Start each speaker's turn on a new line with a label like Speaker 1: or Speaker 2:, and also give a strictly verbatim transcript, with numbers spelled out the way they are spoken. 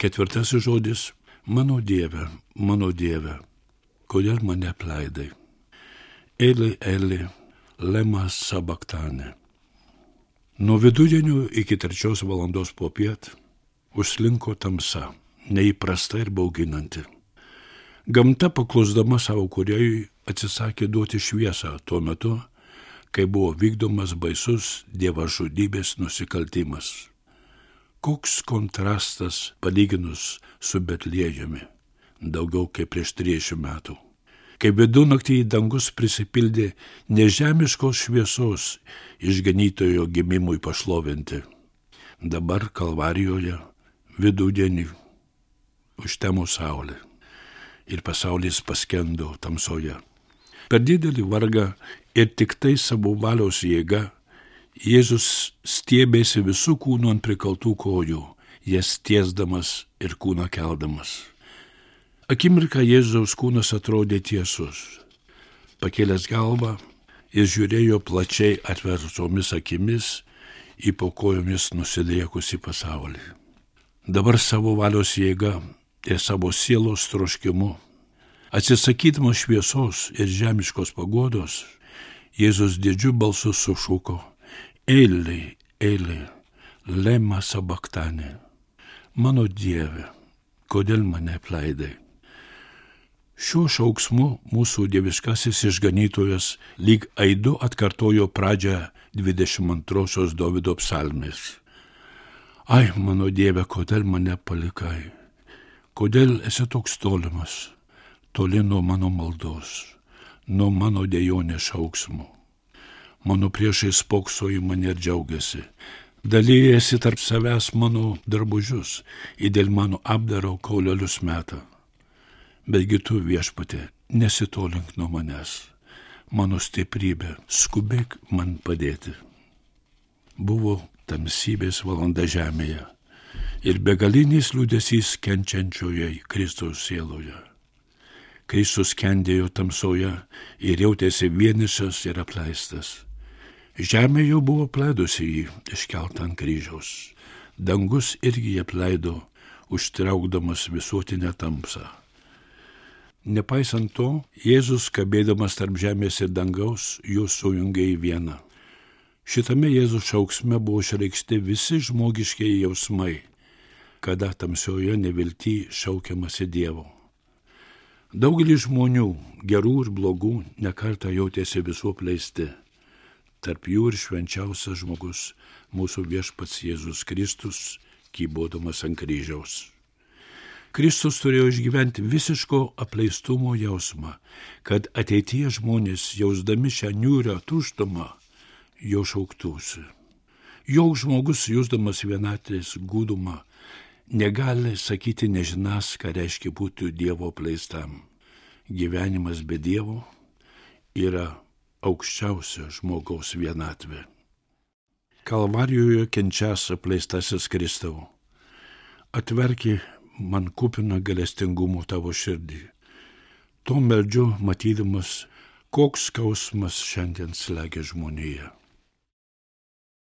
Speaker 1: Ketvirtasis žodis – mano Dieve, mano Dieve, kodėl mane apleidai? Eli, Eli, lema sabaktane. Nuo vidudienio iki trečios valandos popiet užslinko tamsa, neįprasta ir bauginanti. Gamta paklusdama savo kūrėjui atsisakė duoti šviesą tuo metu, kai buvo vykdomas baisus dievažudybės nusikaltimas. Koks kontrastas palyginus su Betliejumi, daugiau kaip prieš trisdešimt metų. Kai vidunaktį į dangus prisipildė nežemiškos šviesos išganytojo gimimui pašlovinti. Dabar Kalvarijoje vidudienį užtemo saulė ir pasaulis paskendo tamsoje. Per didelį vargą ir tik tai savo valios jėga Jėzus stiebėsi visų kūnų ant prikaltų kojų, jas tiesdamas ir kūną keldamas. Akimirką Jėzaus kūnas atrodė tiesus. Pakėlęs galvą, jis žiūrėjo plačiai atvertomis akimis į po kojomis nusidriekusį pasaulį. Dabar savo valios jėga ir savo sielos troškimu, atsisakydamas šviesos ir žemiškos paguodos, Jėzus didžiu balsu sušuko: Eli, Eli, lema sabaktane. Mano Dieve, kodėl mane apleidai? Šiuo šauksmu mūsų dieviškasis išganytojas lyg aidu atkartojo pradžią dvidešimt antrosios Dovydo psalmės. Ai, mano Dieve, kodėl mane palikai? Kodėl esi toks tolimas, toli nuo mano maldos, nuo mano dejonės šauksmų? Mano priešai spokso į mane ir džiaugiasi. Dalyjasi tarp savęs mano drabužius, į dėl mano apdaro kaulelius meta. Betgi tu, Viešpatie, nesitolink nuo manęs. Mano stiprybė, skubėk man padėti. Buvo tamsybės valanda žemėje ir begalinis liūdesys kenčiančioje Kristaus sieloje. Kristus kendėjo tamsoje ir jautėsi vienišas ir apleistas. Žemė jau buvo apleidusi jį, iškeltą ant kryžiaus. Dangus irgi jį apleido, užtraukdamas visuotinę tamsą. Nepaisant to, Jėzus, kabėdamas tarp žemės ir dangaus, juos sujungė į vieną. Šitame Jėzus šauksme buvo išreikšti visi žmogiškieji jausmai, kada tamsioje nevilty šaukiamasi Dievo. Daugelis žmonių, gerų ir blogų, nekartą jautėsi visų apleisti. Tarp jų ir švenčiausias žmogus, mūsų Viešpats Jėzus Kristus, kybodamas ant kryžiaus. Kristus turėjo išgyventi visiško apleistumo jausmą, kad ateityje žmonės, jausdami šią niūrią tuštumą, jo šauktųsi. Joks žmogus, jusdamas vienatvės gūdumą, negali sakyti nežinas, ką reiškia būti Dievo apleistam. Gyvenimas be Dievo yra aukščiausia žmogaus vienatvė. Kalvarijoje kenčias apleistasis Kristau, atverki man kupiną gailestingumo tavo širdį. To meldžiu, matydamas, koks skausmas šiandien slegia žmoniją.